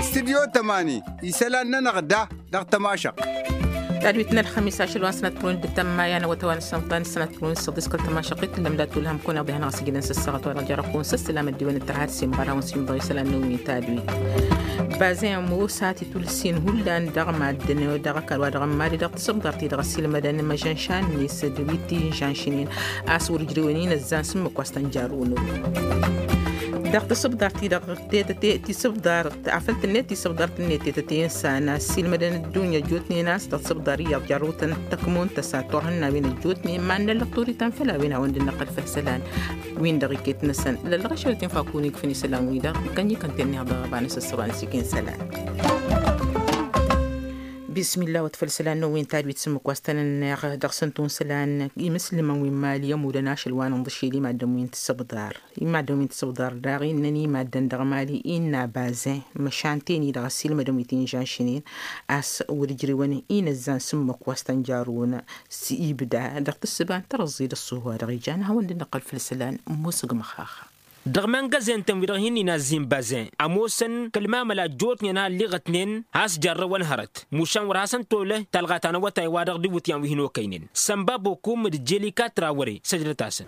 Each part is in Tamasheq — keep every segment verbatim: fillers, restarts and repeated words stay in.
Stidyo tămani isălan-nănăɣ da dăɣ-tămašăɣt. Tadwit n-ălxămis ašăl wa n-sănat kăwăn d-tămmayăn wa tăwăn sănṭan sănat kăwăn săḍis kăl-tămašăɣt itlăm dat ulhăm kăwăn iḍehan ɣas igǝnăn săssăɣăt wa dăɣ-jărăkun săssălam ăddiwăn d-tărhat simɣăr hawăn simḍăɣ isălan n-wi tadwit. Bazen musa titulsin hullan dăɣ-maddǝn dăɣ-ăkall wa dăɣ-ămmali dăɣ-tisǝbḍar ti-dăɣ ăssiilmădăn măžănšan-net d-wi t-inžănšnen. A-s wăr ǝjrewăn inăzzan s-ǝmmǝk wa s-tăn-jarrǝwăn. Dăɣ-tisǝbḍar ti-dăɣ tetăte tisǝbḍar afăl tǝnnet tisǝbḍar tǝnnet tetăte insan a-s ǝssiilmădăn ăddunya ăjjootnen a-s dăɣ-tisǝbḍar iyyăḍ jarrăwtăn tăkmon tăsa turhǝnnawen ăjjootnen mannăllăɣ turităn făll-a-wen hawăn-dd-năqqăl făll-isălan. Win-dăɣ iket-năsăn lăllăɣ ašăl tinfakun igfǝn isălan-wi-dăɣ kănnikăn tennihăḍ ăɣăba n-asǝssăba n-sikin isălan. Bismillah wăt făll-isălan n-wi n-tadwit s-ǝmmǝk wa s-tăn-ănneɣ dăɣ-săn tun isălan imǝslǝmăn wi n-mali ămudăn ašăl wa n-inḍǝšel i-maddǝn wi n-tisǝbḍar. I-maddǝn wi n-tisǝbḍar daɣ innăn i-maddǝn dăɣ-mali innă bazen măšan ten-i-dăɣ ăssiilmădăn wi t-inžănšnen. A-s wăr ǝjrewăn inăzzan s-ǝmmǝk wa s-tăn-jarrǝwăn s-ibda dăɣ-tǝssǝba n-tărăẓẓi d-ăṣṣuhu wa dăɣ-ijan ad-hawăn-dd-năqqăl făll-isălan. Ămoosăg măxaxa. Dăɣ-imăngăzen-tăn wi-dăɣ hin-inazzin bazen ămoosăn kăl-mamăla ăjjootnen a ălliɣătnen has-jarrăwăn hărăt mušan wăr hasăn-tolăh talɣa ta n-awătay-wa-dăɣ d-iwǝtyan wi hin-okăynen sănba bokum d-jelika trawăre săjdăt-asăn.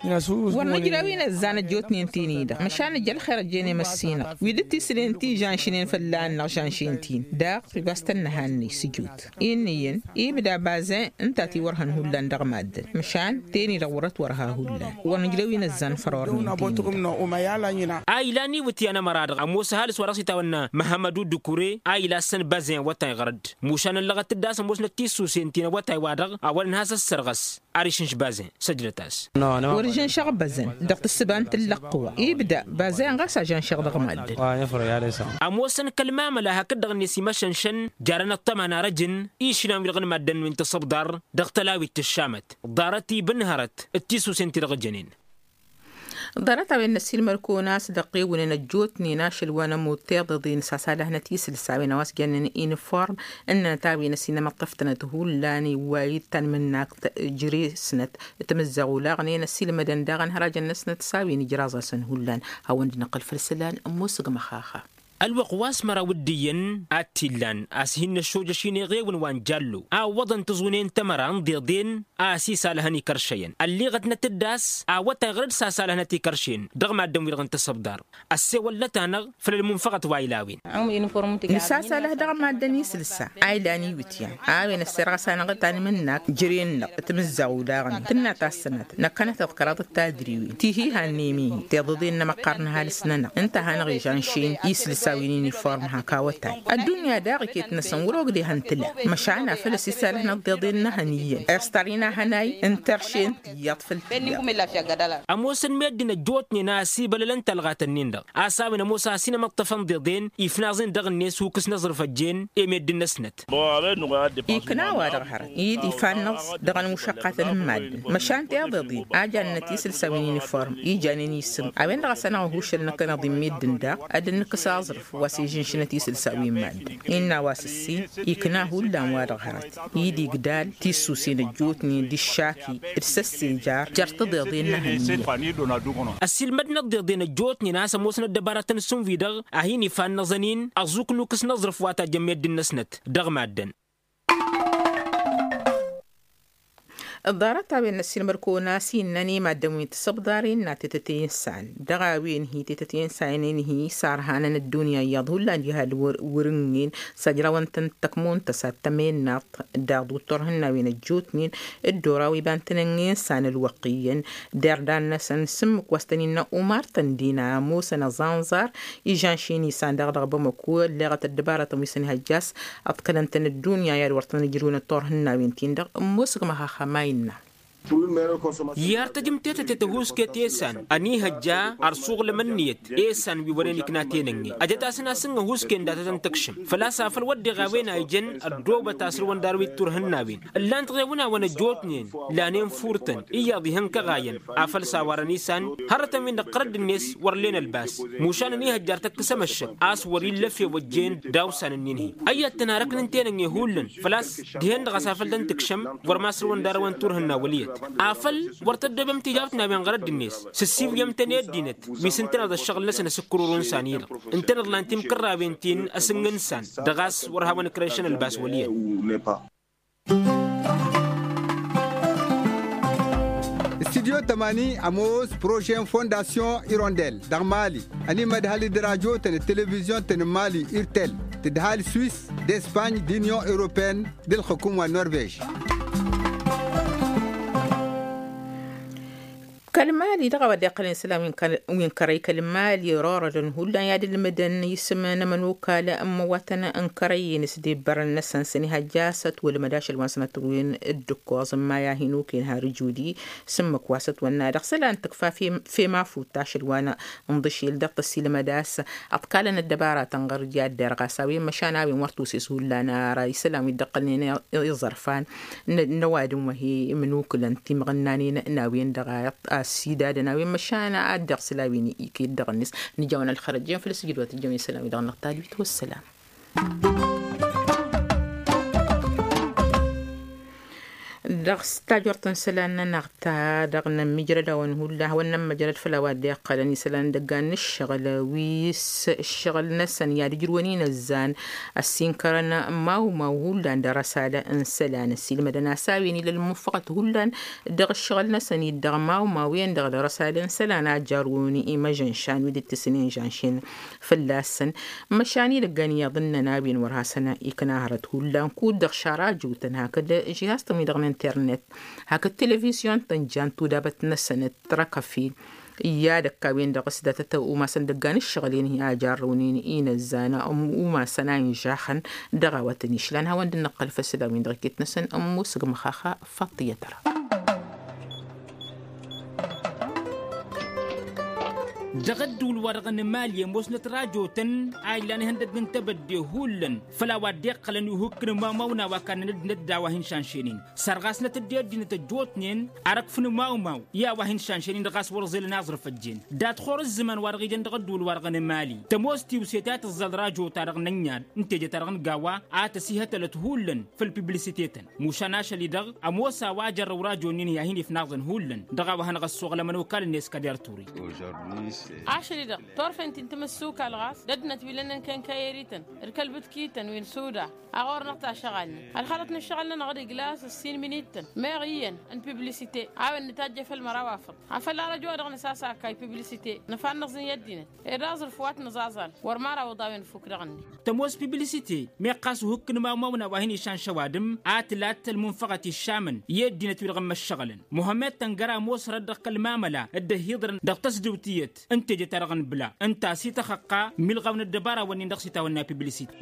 Wăr nǝjrew inăzzan ăjjootnen tin-i-dăɣ măšan nǝjj ălxer ăjjeen i-măssinăɣ wi dd-tisǝlen ti žănšnen fălla-năɣ žănšen-t-in daɣ. Ibas tănnăhannăy s-ǝjut innă iyyăn ibda bazen ǝnta a tiwărhăn hullan dăɣ-maddǝn măšan ten-i-dăɣ wăr-ătwărha hullan wăr nǝjrew inăzzan fărornen. Tin-i-dăɣ. A ilan iwǝtyan ămăra-dăɣ ămoos ăhalǝs wa dăɣ-s itawănna măhămmădu dukure a ila ǝssăn bazen awătay ɣăr-dd mušan ăllăɣăt-dd a-s ămoosnăt tissusen ti n-awătay-wa-dăɣ a wălăn has-ăssărɣăs. Ar išǝnš bazen săjdăt-as. Wăr žănšăɣ bazen dăɣ-tǝssǝba n-tǝllăɣ-t wa ibda bazen ɣas a žănšăɣ dăɣ-maddǝn. Ămoosăn kăl-mamăla hakd-dăɣ-net imăšănšăn jarăn ăṭṭăma n-arăjǝn išlan-wi-dăɣ n-maddǝn wi n-tisǝbḍar dăɣ-tălawit tǝššamăt ḍarăt-i bǝnhărăt d-tisusen ti-dăɣ jănen. Ḍarăt-a-wen n-ăssiilmăr-kăwăn a-s dăɣ-ewǝnăn ăjjootnen ašăl wa n-ămudd tiḍeḍen s-asalăhnăt isǝlsa a-wen a-wa s-jănnen inǝform ǝnnănăt a-wen ăsinămăṭṭăf-tănăt hullan iwway d-tanmǝnnakt jere-snăt. Timǝzzaɣ olaɣnen ăssiilmădăn daɣ ănhărajăn-năsnăt s-a-wen ijraẓ-asăn hullan. Hawăn-dd-năqqăl făll-isălan ămoosăg măxaxa. Ălwăqq wa s-măraw d-iyyăn ad-t-illan a-s hin-năššojăš ineɣewăn wa n-jallo a ǝwwăḍăn tiẓunen tamăra n-iḍeḍen a-s isalăhăn ikăršăyăn ălliɣătnăt-dd a-s awătay ɣur-dd s-asalăhnăt ikăršen dăɣ-maddǝn-wi-dăɣ n-tisǝbḍar. Ăssewăllăt-anăɣ făll-ălmunfăɣăt wa ilawen. Nǝsasalăh dăɣ-maddǝn isǝlsa a ilan iwǝtyan a-wen ăssirɣăs-anăɣ tanmǝnnakt jăre-năɣ timǝzzaɣ olaɣnen tǝnna tassănat năkkănăt-dd kăraḍăt tadriwin ti hi-hannem-i tiḍeḍen n-amăqqar n-ăhalǝs-nănăɣ ǝnta a hanăɣ-ižănšen isǝlsa wi n-iniform hak awătay. Ăddunya daɣ iket-năsăn wăr-ogdeh ăntǝla măšan afăl ăsisalăh n-ăḍḍeḍen n-ehăn iyyăn ăstăr-in a hănay ǝntăršen tiyyăḍ făll-tiyyăḍ. Ămoosăn meddǝn ăjjootnen a ăsibălălăn talɣat-ǝnnin-dăɣ a-s a-wen ămoos a ăsinămăṭṭăfăn d-iḍen ifnaẓ-in dăɣ-net hukǝs n-aẓrǝf ăjjeen i-meddǝn-năsnăt. Ikna-wa-dăɣ hărăt i-dd ifannăẓ dăɣ-ănmušăqqatăn n-maddǝn măšan tiḍeḍen a jannăt isǝlsa wi n-iniform i janen isǝm a-wen-dăɣ a-s anăɣ-ăhušăl năkkăneḍ i-meddǝn daɣ ad-dd-nǝkkǝs aẓrǝf wa s-ižǝnšǝnăt isǝlsa wi n-maddǝn. Innă a-wa s-ǝssin ikna hullan-wa-dăɣ hărăt i-dd igdal tissusen ăjjootnen d-iššaki d-săssejar jer-tiḍeḍen n-ehăn-iyyăn. Ăssiilmădnăt d-iḍen ăjjootnen a-s ămoosnăt dăbaratăn s-ǝnwi-dăɣ a hin-ifannăẓăn-in ăẓuk nukǝs n-aẓrǝf wa tajjăn meddǝn-năsnăt dăɣ-maddǝn. Ḍarăt-a-wen n-ăssiilmăd-kăwăn a-s innăn i-maddǝn wi n-tisǝbḍar innă tetăte n-isan dăɣ-a-wen hi-tetăte n-isan ǝnhǝy isarhanăn ăddunya iyyăḍ hullan jihad wăr-ǝnnin s-ăjrawăn-tăn tăkmon-tăs ad-tămennaḍt daɣ d-uṭṭur ihǝnnawen ăjjootnen. Dd-oraw iba n-tǝnǝnge n-isan ălwăqq iyyăn derdan-năsăn s-ǝmmǝk wa s-tăn-innă umar tăndina ămoosăn ăẓanẓar ižănšin isan daɣ dăɣ-bamăko ălleɣăt ăddăbarătăn wi s-ănihăjja a-s ǝḍkălăn-tăn ăddunya i-ad-wăr tăn-ǝjrǝwăn ăṭṭor ihǝnnawen-tin-dăɣ. Ămoosăg măxaxa ma innă. I-ar tăjǝm tetăte tăhuusket i-esan ănihăjja ărsuɣlăm ǝnniyăt i-esan wi wăren ikna tenănge ăjăt-asăn a-s ǝnhǝhusken dat-tăn-tǝkšǝm făl-a-s afăl wădden a-wen a ijăn ăddoobăt asrǝwăn d-arwit turhǝnnawen ǝllan-t ɣewǝnawăn ăjjootnen lanen furtăn iyyăḍ ihăn kăɣayăn afăl s-a warăn isan hărătăn-win-dăɣ ɣărădd-net wăr len ălbas mušan ănihăjjar tăkkăs amăššăk a-s wăr-illa efew ăjjeen daw-san ǝnnin-hi. Ăyyăt-tăn arăknen tenănge hullan făl-a-s dihen-dăɣ a-s afăl tăn-tǝkšăm wăr masrǝwăn d-arăwăn turhǝnna wăl' iyyăt. Afăl wăr tăddobem tijawt n-a-wen ɣărădd-net s-ǝssibǝyăm-tăn i-ăddinăt wi s-ǝntăneḍ ăššăɣǝl-năsăn asǝkkărorăn s-anilăɣ ǝntăneḍ lan timkărrawen ti n-asǝngǝn s-an dăɣ-a-s wăr hawăn-ǝkrăyšăn ălbas wăl' iyyăn. Studyo tămani ămoos prožen fondasyon irondel dăɣ-mali ănimădhăl d-rajotăn d-televizyon-tăn n-mali irtel tǝdhal swis d-espany d-inyon europeyăn d-ǝlxǝkǝm wa n-norvež. Kăl-mali dăɣ-a-wa dd-iqqălăn isălan wi n-kărăy kăl-mali rorădăn hullan i-ad-ǝlmǝdăn isǝm n-ămănokal n-imǝwwatăn n-kărăy-in s-debbărăn-năsăn s-ănihăjja a-s ătwălmăd ašăl wa n-sănătăwwen d-ǝkkoẓ n-maya hin-okăyăn har ǝjudi s-ǝmmǝk wa s-ătwănna dăɣ-isălan tǝkfa fem afut ašăl wa n-ḍǝšel dăɣ-tăsilmăd a-s ăḍkalăn ăddăbaratăn ɣur-dd i-ad-derɣ a-s a-wen măšan a-wen wăr t-uses hullan ara isălan wi dd-ăqqălnen iẓărfan n-ăwadǝm wa hi-imǝnukǝlăn timɣǝnnanen n-a-wen-dăɣ a ăsidadăn a-wen măšan ad-dd-iɣsǝl a-wen iket dăɣ-net. Nǝjawăn ălxărăjjen făll-asǝjǝd wa tǝjjăm isălan-wi-dăɣ n-ăɣtalwit wăssălam. Dăɣ-s tajort n-isălan-nănăɣ ta dăɣ-nămmijrăd a-wen hullan hawăn-nămmăjrăd făll-a-wa dd-iqqălăn isălan d-ăggan n-ǝššăɣǝl wi s-ǝššăɣǝl-năsăn i-ad-ǝjrǝwăn inăzzan ăssinkărăn mawmaw hullan dăr-ăsal n-isălan ăssiilmădăn a-s a-wen ila ălmunfăɣăt hullan dăɣ-ǝššăɣǝl-năsăn-dd dăɣ-mawmaw-en-dăɣ dăr-ăsal n-isălan a jarrǝwăn imăžănšan wi dd-tǝsǝn inžănšen fălla-săn. Măšan idăggan iyyăḍ ǝnnăn a-wen wăr hasăn-ikna hărăt hullan kud-dăɣ šara jotăn hakd žihaz-tăn wi-dăɣ n-internet hakd televizyon-tăn jan tudabăt-năsăn d-tărăkăfin i-ad-ăkk a-wen-dăɣ s-datăt umasăn dăggan ǝššăɣǝl-en hi-ajarrăwnen inăzzan umasăn a inžaxăn dăɣ-a-wa tăn-išlan hawăn-dd-năqqăl făll-isălan-win-dăɣ iket-năsăn ămmus g-măxaxa. Faṭṭiyăt-ra dăɣ-ădduul-wa-dăɣ n-emali ămoosnăt rajotăn a ilan ihăndăgg n-tebădde hullan făll-a-wa dd-iqqălăn i-uhǝkk n-imawmaw n-a-wa kannăn ăddinăt d-a-wa hin-šanšăynen sărɣasnăt-dd i-ăddinăt ăjjootnen arăkf n-imawmaw i-a-wa hin-šanšăynen dăɣ-a-s wăr ẓelăn aẓrǝf ăjjeen dat-ɣur-ǝzzǝman wa-dăɣ ijăn dăɣ-ădduul-wa-dăɣ n-emali tămoos tiwse ta tǝẓẓal rajo-ta-dăɣ n-ănniad n-teje-ta-dăɣ n-gawa a tăsihătălăt hullan făll-piblisite-tăn mušan ašăl-i-dăɣ ămoos a-wa jărrăw rajo-nin-hi a hin-ifnaẓăn hullan dăɣ-a-wa hanăɣ-ăssoɣăl ămănokal-net kăder turi. Ašăl-i-dăɣ turfen ti n-timǝssukal ɣas d-ăddinăt wi lănnăn kenkăyeri-tăn d-kăl-bǝtki-tăn wi n-suda a ɣur-năɣ tašăɣalnen ălxalăt n-ǝššăɣǝl-nănăɣ d-iglas ǝssin imǝnittăn meɣ iyyăn n-piblisite a-wen nǝtajje făll-măraw afăḍ afăl arăjo-wa-dăɣ nǝsasakay piblisite nǝfannăẓ-in i-ăddinăt ed aẓrǝf wa t-nǝẓaẓal wăr măraw iḍawen fuk dăɣ-net. Tămoos piblisite meɣ ɣas uhǝkk n-imawmaw n-a-wa hin-išan šăwadǝm a tǝlat ălmunfăɣăt iššamăn i-ăddinăt-wi-dăɣ n-imăššăɣǝlăn muhămmed tăngăra ămoos hărăt dăɣ-kăl-mamăla dd-ăhhiḍărăn dăɣ-tăsdǝwt tiyyăt n-teje-ta-dăɣ n-bǝla ǝnta a-s ităxăqqa milɣaw n-ăddăbara-wǝnnin dăɣ-s itawănna piblisite.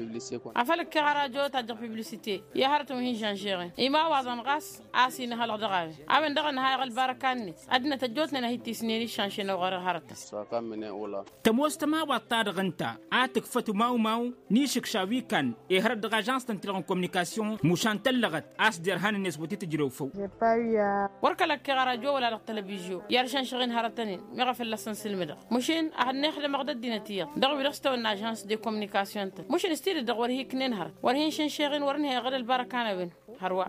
Afăl ǝkkeɣ ara jot ajjăɣ piblisite i-hărătăn wi hin-žănžeɣen imawaḍăn ɣas a-s inhălăɣ dăɣ-a-wen a-wen dăɣ-ănhayăɣ ălbarăka-net ăddinăt ăjjootnen a hi-tisnen iššănšenăw ɣur-hărătăn. Tămoos tămawaḍt-ta-dăɣ ǝnta a tǝkfăt umawmaw n-išǝkša wi kan ihărăt dăɣ-ažans-tăn-ti-dăɣ n-kominikasyon mušan tăllăɣăt a-s derhan-net wăr t-tǝjrew făw. Wăr kăl-ăkkeɣ ara jo wăla dăɣ-telăbizyo i-ad-šănšăɣ-in hărătăn-in meɣ a fălla-săn sǝlmǝdăɣ mušin ad-hănnexdăm ad-ăddinăt iyyăḍ dăɣ-wi dăɣ-s tawănna ažans de kominikasyon-tăn mušin s-tidǝt-dăɣ wăr hi-ǝknen hărăt wăr hin-šănšeɣ-in wăr ǝnhăyăɣ d-ălbarăka n-a-wen. Hărwa.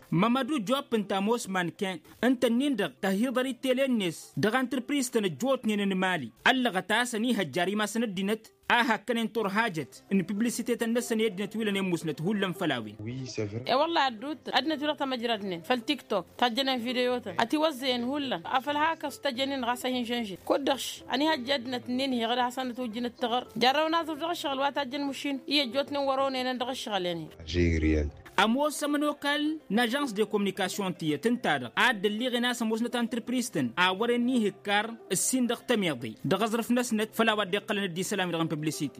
Mămădu jopp ǝnta ămoos manken ǝnta-ǝnnin-dăɣ tăhiḍăr i-tele-net dăɣ-antrǝpriz-tăn ăjjootnen n-imali ăllăɣăt a-s ănihăjjar imasăn ăddinăt a hakkănen turhajăt n-piblisite-tăn-năsăn i-ăddinăt wi lănen musnăt hullan făll-a-wen. E-wălla ădduuttăn ăddinăt wi-dăɣ tamăjradnen făll-tiktok tajjănen video-tăn ătiwăzzăyăn hullan afăl hak ăstăjănen ɣas a hin-žănžen kud-dăɣ š-ănihăjja ăddinăt-nin-hi ɣǝd hasăn-ătwǝjjǝn ǝttăɣăr jarrăw n-aẓrǝf dăɣ-ǝššăɣǝl wa tajjăn mušin i-ăjjootnen wăr onăynen dăɣ-ǝššăɣǝl-en-hi. Ămoos ămănokal n-ažans de kominikasyon tiyyăt ǝnta-dăɣ a dd-ălliɣen a-s ămoosnăt antrǝpriz-tăn a wăren n-ihǝkkar ǝssin dăɣ-tămiḍe dăɣ-aẓrǝf-năsnăt făll-a-wa dd-iqqălăn dd-isălan-wi-dăɣ n-piblisite.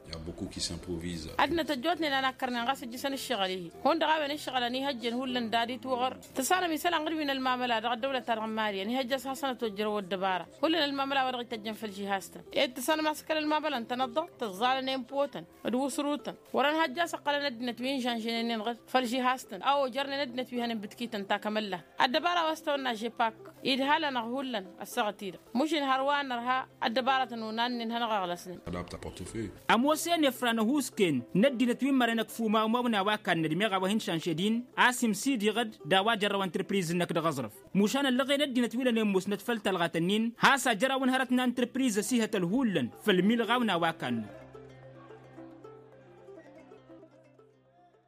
Ăddinăt ăjjootnen a n-akkărnen ɣas ǝjjǝsăn ǝššăɣǝl-ihi hundăɣ a-wen ǝššăɣǝl ănihăjjen hullan d-ad-itwăɣăr tǝsanăm isălan ɣǝd-wi n-ălmamăla dăɣ-ăddăwlăt-ta-dăɣ n-mali ănihăjja a-s hasăn-ătwăjjărăw ăddăbara hullan ălmamăla wa dăɣ-ităjjăn făll-žihaz-tăn ed tǝsanăm a-s kăl-ălmamăla ǝntăneḍ-dăɣ tǝẓẓalăn i-inpotăn d-wǝsrutăn wăr-ănhăjja a-s ǝqqălăn ăddinăt wi n-žănžănen-in ɣǝd făll-žihaz. Has-tăn a ojărnen ăddinăt wi hănen bǝtkităn ta kămăllat ăddăbara wa s-tăwănna žepak idha-lănăɣ hullan ăssaɣăt-i-dăɣ. Mušin hărwa n-ărha ăddăbaratăn unannen hanăɣ-ăɣlăsnen. Ămoos-en efra n-ăhuusken n-ăddinăt wi n-măren ăkf umawmaw n-a-wa kannăd meɣ a-wa hin-šanšed-in a-s imsidiɣăd d-a-wa jărrăw ăntrǝpriz-năk dăɣ-aẓrǝf. Mušan ăllăɣen ăddinăt wi lănen musnăt făll-talɣat-ǝnnin has-ajărawăn hărăt n-ăntrǝpriz ăsihătăl hullan făll-milɣaw n-a-wa kannăd.